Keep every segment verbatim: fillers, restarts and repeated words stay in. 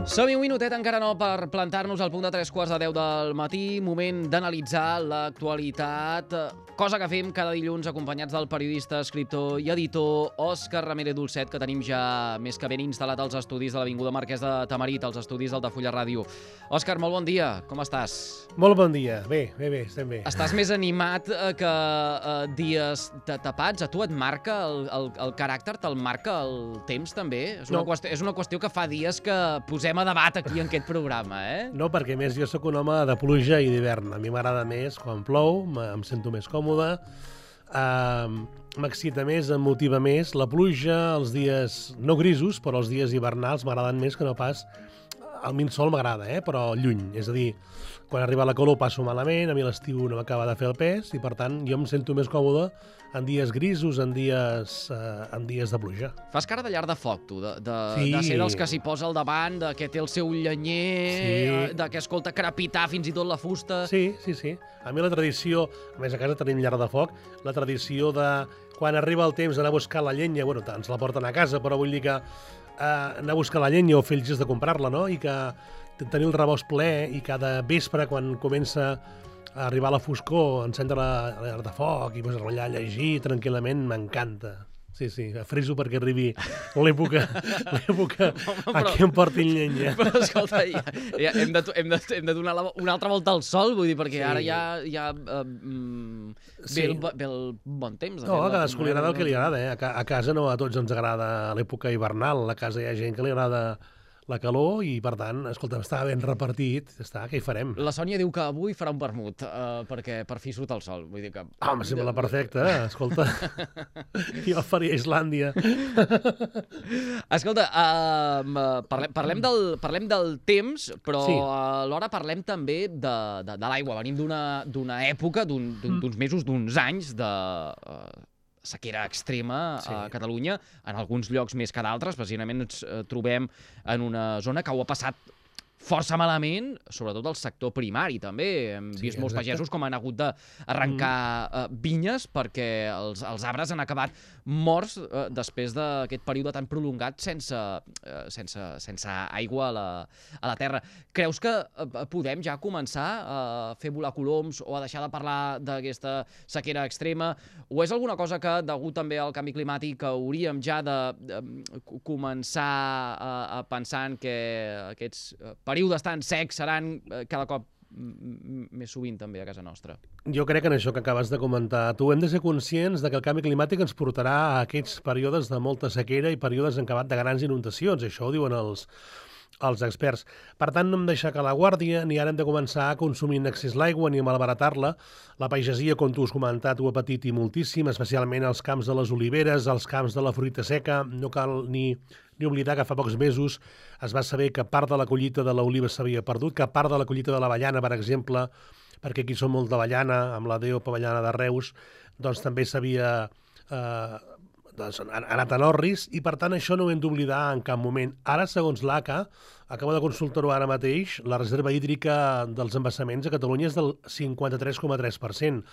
Som-hi un minutet, encara no, per plantar-nos al punt de tres quarts de deu del matí. Moment d'analitzar l'actualitat, cosa que fem cada dilluns acompanyats del periodista, escriptor i editor Òscar Ramírez Dolcet, que tenim ja més que ben instal·lat als estudis de l'Avinguda Marquès de Tamarit, als estudis d'Altafulla Ràdio. Òscar, molt bon dia, com estàs? Molt bon dia, bé, bé, bé, estem bé. Estàs més animat que eh, dies tapats? A tu et marca el, el, el caràcter, te'l marca el temps també? És una, No. qüestió, és una qüestió que fa dies que posem a debat aquí en aquest programa, eh? No, perquè a més jo sóc un home de pluja i d'hivern. A mi m'agrada més quan plou, em sento més còmode, uh, m'excita més, em motiva més. La pluja, els dies no grisos, però els dies hivernals m'agraden més que no pas... El minsol m'agrada, eh? Però lluny. És a dir, quan arriba la calor passo malament, a mi l'estiu no m'acaba de fer el pes i, per tant, jo em sento més còmode en dies grisos, en dies, eh, en dies de pluja. Fas cara de llar de foc, tu, de, de, Sí. de ser dels que s'hi posa al davant, de que té el seu llenyer, Sí. eh, de que escolta crepitar fins i tot la fusta... Sí, sí, sí. A mi la tradició, a més a casa tenim llar de foc, la tradició de quan arriba el temps d'anar a buscar la llenya, bueno, ens la porten a casa, però vull dir que eh, anar a buscar la llenya o fer el gest de comprar-la, no? I que tenir el rebost ple i cada vespre, quan comença a arribar la foscor, encendre la, la llar de foc i posar-la allà a llegir tranquil·lament, m'encanta. Sí, sí, friso perquè arribi l'època l'època a què em portin llenya. Però escolta, ja, ja hem, de, hem, de, hem de donar la, una altra volta al sol, vull dir, perquè Sí. ara ja, ja uh, mm, ve, Sí. el, ve el bon temps. de No, fet, a cadascú li agrada el que li no- agrada, eh? A, ca a casa no a tots ens agrada l'època hivernal, a casa hi ha gent que li agrada la calor i, per tant, escolta, està ben repartit, està, què hi farem? La Sònia diu que avui farà un vermut, uh, perquè per fi surt el sol. Vull dir que... Ah, em sembla perfecte, eh? Escolta, jo faria Islàndia. Escolta, uh, parlem, parlem, del, parlem del temps, però Sí. alhora parlem també de, de, de l'aigua. Venim d'una d'una època, d'uns un, d'uns mesos, d'uns anys de uh, sequera extrema Sí. a Catalunya, en alguns llocs més que d'altres. Precisament ens eh, trobem en una zona que ho ha passat força malament, sobretot el sector primari, també. Hem Sí, vist molts exacte. pagesos com han hagut d'arrencar mm. uh, vinyes perquè els, els arbres han acabat morts uh, després d'aquest període tan prolongat sense, uh, sense, sense aigua a la, a la terra. Creus que uh, podem ja començar a fer volar coloms o a deixar de parlar d'aquesta sequera extrema? O és alguna cosa que, degut també al canvi climàtic, hauríem ja de, de començar a, a pensar en que aquests uh, períodes tan secs seran uh, cada cop més sovint també a casa nostra? Jo crec que en això que acabes de comentar tu hem de ser conscients de que el canvi climàtic ens portarà a aquests períodes de molta sequera i períodes en acabat de grans inundacions. Això ho diuen els, els experts. Per tant, no hem de deixar que la guàrdia, ni ara hem de començar a consumir en excés l'aigua ni a malbaratar-la. La pagesia, com tu has comentat, ho ha patit i moltíssim, especialment als camps de les oliveres, als camps de la fruita seca. No cal ni, ni oblidar que fa pocs mesos es va saber que part de la collita de l'oliva s'havia perdut, que part de la collita de l'avellana, per exemple, perquè aquí som molt d'avellana, amb la D O P Avellana de Reus, doncs també s'havia... Eh, doncs, han anat en orris i, per tant, això no ho hem d'oblidar en cap moment. Ara, segons l'A C A, acabo de consultar-ho ara mateix, la reserva hídrica dels embassaments a Catalunya és del cinquanta-tres coma tres per cent.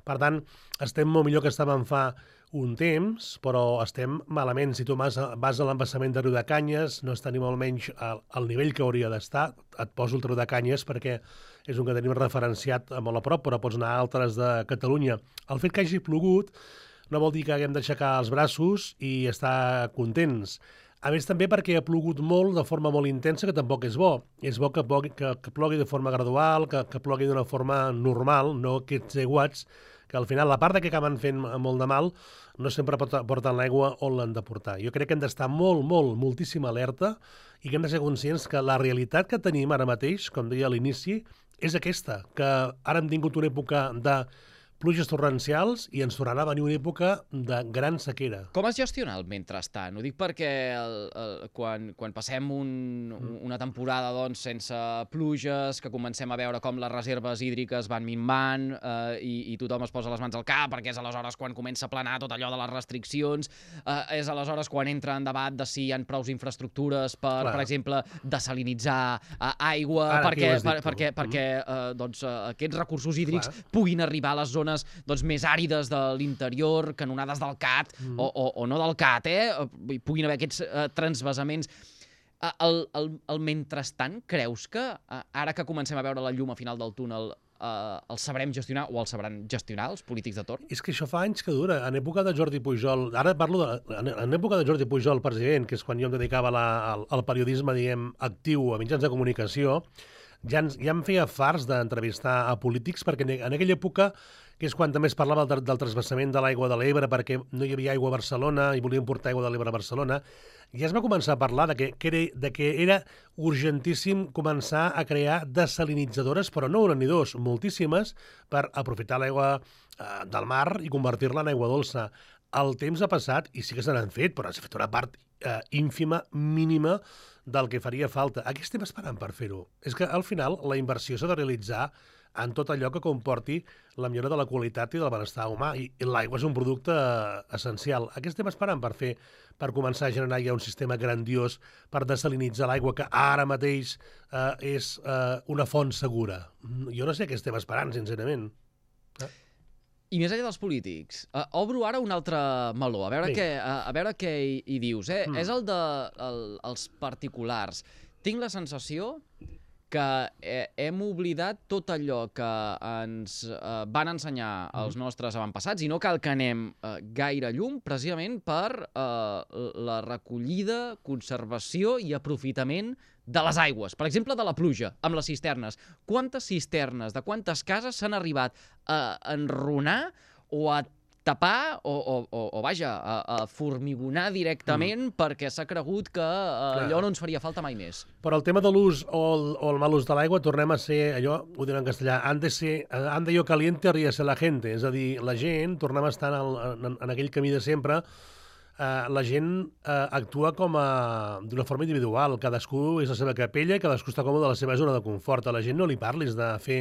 Per tant, estem molt millor que estàvem fa un temps, però estem malament. Si tu vas a, vas a l'embassament de Riudecanyes, no està ni molt menys al, al nivell que hauria d'estar. Et poso el Riudecanyes perquè és un que tenim referenciat molt a prop, però pots anar a altres de Catalunya. El fet que hagi plogut no vol dir que haguem d'aixecar els braços i estar contents. A més, també perquè ha plogut molt de forma molt intensa, que tampoc és bo. És bo que plogui, que, que plogui de forma gradual, que, que plogui d'una forma normal, no aquests aiguats, que al final la part de que acaben fent molt de mal no sempre porten l'aigua on l'han de portar. Jo crec que hem d'estar molt, molt, moltíssima alerta i que hem de ser conscients que la realitat que tenim ara mateix, com deia a l'inici, és aquesta, que ara hem tingut una època de pluges torrencials i ens tornarà a venir una època de gran sequera. Com es gestiona el mentrestant? Ho dic perquè el, el, quan, quan passem un, una temporada doncs, sense pluges, que comencem a veure com les reserves hídriques van minvant eh, i, i tothom es posa les mans al cap perquè és aleshores quan comença a planar tot allò de les restriccions, eh, és aleshores quan entra en debat de si hi ha prous infraestructures per, Clar. per exemple, desalinitzar eh, aigua, Ara, perquè, aquí ho has dit per, tu. perquè, perquè eh, doncs, eh, aquests recursos hídrics Clar. puguin arribar a les zones doncs, més àrides de l'interior, canonades del Cat, mm. o, o, o no del Cat, eh? Puguin haver aquests eh, transvasaments. El, el, el mentrestant, creus que ara que comencem a veure la llum a final del túnel eh, el sabrem gestionar o el sabran gestionar els polítics de torn? És que això fa anys que dura. En època de Jordi Pujol, ara parlo de, en, en època de Jordi Pujol, president, que és quan jo em dedicava la, al, al periodisme, diguem, actiu a mitjans de comunicació, ja, ens, ja em feia farts d'entrevistar a polítics, perquè en aquella època, que és quan també es parlava del, del transvassament de l'aigua de l'Ebre, perquè no hi havia aigua a Barcelona i volien portar aigua de l'Ebre a Barcelona, ja es va començar a parlar de que, que, era, de que era urgentíssim començar a crear desalinitzadores, però no una ni dos, moltíssimes, per aprofitar l'aigua eh, del mar i convertir-la en aigua dolça. El temps ha passat i sí que se n'han fet, però s'ha fet una part eh, ínfima, mínima, del que faria falta. A què estem esperant per fer-ho? És que al final la inversió s'ha de realitzar en tot allò que comporti la millora de la qualitat i del benestar humà. I l'aigua és un producte essencial. A què estem esperant per fer, per començar a generar ja un sistema grandiós per desalinitzar l'aigua que ara mateix eh, és eh, una font segura? Jo no sé què estem esperant, sincerament. Eh? I més enllà dels polítics, uh, obro ara un altre meló, a veure, sí. què, uh, a veure què hi, hi dius. Eh? Mm. És el dels de, el, els particulars. Tinc la sensació que eh, hem oblidat tot allò que ens eh, van ensenyar els nostres avantpassats i no cal que anem eh, gaire llum precisament per eh, la recollida, conservació i aprofitament de les aigües. Per exemple, de la pluja, amb les cisternes. Quantes cisternes, de quantes cases s'han arribat a enrunar o a tapar o, o, o, o vaja, a, a formigonar directament mm. perquè s'ha cregut que uh, allò no ens faria falta mai més. Però el tema de l'ús o, el, o el mal ús de l'aigua, tornem a ser, allò, ho diré en castellà, han de ser, han de yo caliente ríase la gente, és a dir, la gent, tornem a estar en, el, en, en aquell camí de sempre, Uh, la gent uh, actua com a d'una forma individual, cadascú és la seva capella i cadascú està còmode a la seva zona de confort. A la gent no li parlis de fer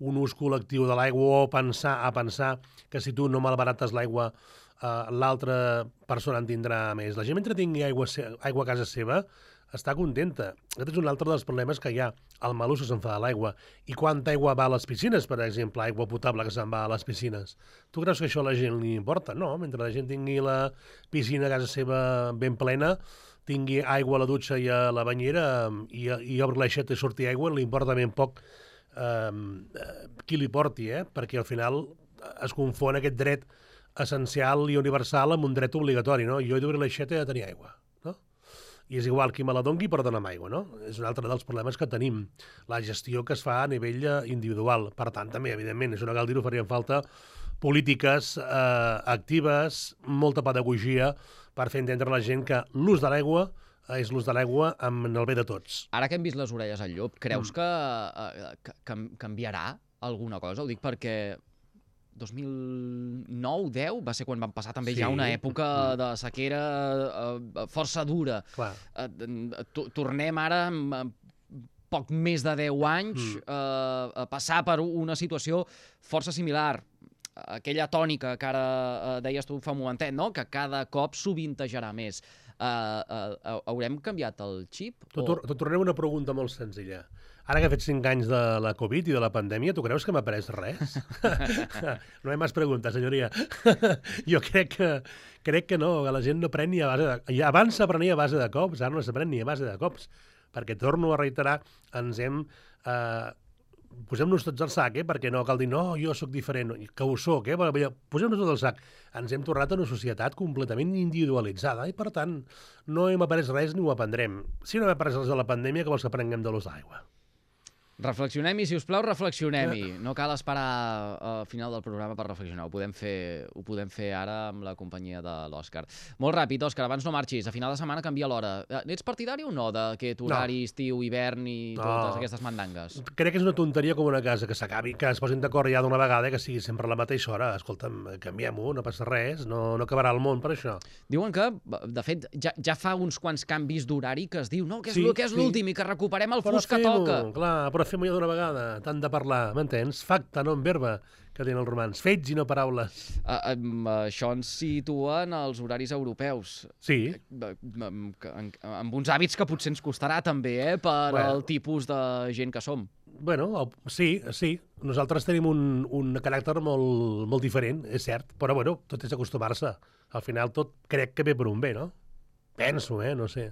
un ús col·lectiu de l'aigua o pensar a pensar que si tu no malbarates l'aigua uh, l'altra persona en tindrà més. La gent mentre tingui aigua, aigua a casa seva està contenta. Aquest és un altre dels problemes que hi ha, el mal ús que se'n fa de l'aigua. I quanta aigua va a les piscines, per exemple, aigua potable que se'n va a les piscines. Tu creus que això a la gent li importa? No, mentre la gent tingui la piscina a casa seva ben plena, tingui aigua a la dutxa i a la banyera i, i obri l'aixeta i surti aigua, li importa ben poc eh, qui li porti, eh? Perquè al final es confon aquest dret essencial i universal amb un dret obligatori, no? Jo he d'obrir l'aixeta i he de tenir aigua. I és igual qui me la dongui, però dona'm aigua, no? És un altre dels problemes que tenim, la gestió que es fa a nivell individual. Per tant, també, evidentment, és una cal dir-ho, farien falta polítiques eh, actives, molta pedagogia per fer entendre a la gent que l'ús de l'aigua és l'ús de l'aigua amb el bé de tots. Ara que hem vist les orelles al llop, creus mm. que, eh, que, que canviarà alguna cosa? Ho dic perquè dos mil nou deu va ser quan van passar també sí. ja una època de sequera uh, força dura. Uh, tornem ara amb poc més de deu anys mm. uh, a passar per una situació força similar. Aquella tònica que ara uh, deies tu fa un momentet, no? Que cada cop sovintejarà més. Uh, uh, haurem canviat el xip? Te o... tornem una pregunta molt senzilla. Ara que ha fet cinc anys de la Covid i de la pandèmia, tu creus que m'ha après res? No hi ha més preguntes, senyoria. Jo crec que, crec que no, que la gent no pren ni a base de... Abans s'aprenia a base de cops, ara no s'aprèn ni a base de cops. Perquè, torno a reiterar, ens hem... Eh, posem-nos tots al sac, eh? Perquè no cal dir, no, jo sóc diferent, que ho soc, eh? Posem-nos tots al sac. Ens hem tornat a una societat completament individualitzada i, per tant, no hem après res ni ho aprendrem. Si no hem après res de la pandèmia, que vols que aprenguem de l'ús d'aigua? Reflexionem-hi, si us plau, reflexionem-hi. No cal esperar al final del programa per reflexionar. Ho podem fer, ho podem fer ara amb la companyia de l'Òscar. Molt ràpid, Òscar, abans no marxis. A final de setmana canvia l'hora. Ets partidari o no d'aquest horari no. estiu, hivern i no. totes aquestes mandangues? Crec que és una tonteria com una casa, que s'acabi, que es posin d'acord ja d'una vegada, que sigui sempre a la mateixa hora. Escolta'm, canviem-ho, no passa res, no, no acabarà el món per això. Diuen que, de fet, ja, ja fa uns quants canvis d'horari que es diu no, que és, sí, que és sí. l'últim i que recuperem el però fus que toca. Clar, però fem-ho ja d'una vegada, tant de parlar, m'entens? Facta, no en verba, que tenen els romans. Fets i no paraules. Uh, um, això ens situa en els horaris europeus. Sí. Uh, amb, amb, amb uns hàbits que potser ens costarà també, eh, per bueno. el tipus de gent que som. Bueno, sí, sí. Nosaltres tenim un, un caràcter molt, molt diferent, és cert, però bueno, tot és acostumar-se. Al final tot crec que ve per un bé, no? Penso, eh? No sé.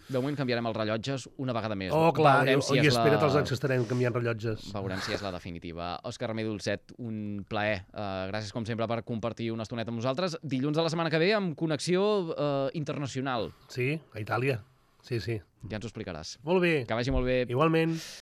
De moment canviarem els rellotges una vegada més. Oh, clar, Veurem i, si i és espera't la... els anys que estarem canviant rellotges. Veurem si és la definitiva. Òscar Remé Dolcet, un plaer. Uh, gràcies, com sempre, per compartir una estoneta amb nosaltres. Dilluns de la setmana que ve amb connexió uh, internacional. Sí, a Itàlia. Sí, sí. Ja ens ho explicaràs. Molt bé. Que vagi molt bé. Igualment.